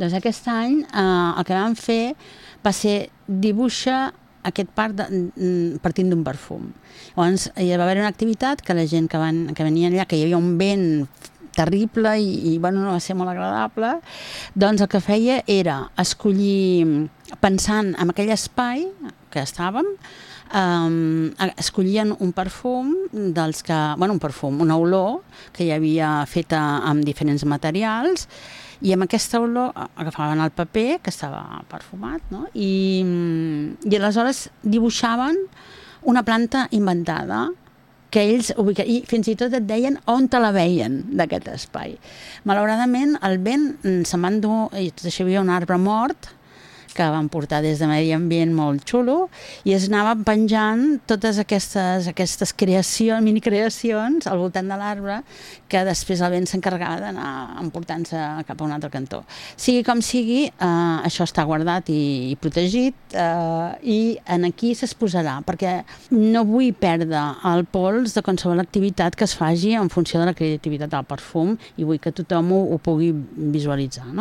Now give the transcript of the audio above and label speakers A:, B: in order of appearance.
A: Doncs aquest any el que vam fer va ser dibuixar aquest parc partint d'un perfum. Llavors hi va haver una activitat que la gent que venia allà, que hi havia un vent terrible i bueno, no va ser molt agradable, doncs el que feia era escollir, pensant en aquell espai que estàvem, escollien un perfum dels que, bueno, un perfum, una olor que hi havia feta amb diferents materials, i amb aquesta olor agafaven el paper que estava perfumat, no? I aleshores dibuixaven una planta inventada que ells i fins i tot et deien on te la veien d'aquest espai. Malauradament el vent se'n va endur, i tot això hi havia un arbre mort que van portar des de Medi Ambient molt xulo, i es anaven penjant totes aquestes creacions, minicreacions al voltant de l'arbre, que després el vent s'encarregava d'anar emportant-se cap a un altre cantó. Sigui com sigui, això està guardat i protegit, i aquí s'exposarà, perquè no vull perdre el pols de qualsevol activitat que es faci en funció de la creativitat del perfum, i vull que tothom ho pugui visualitzar, no?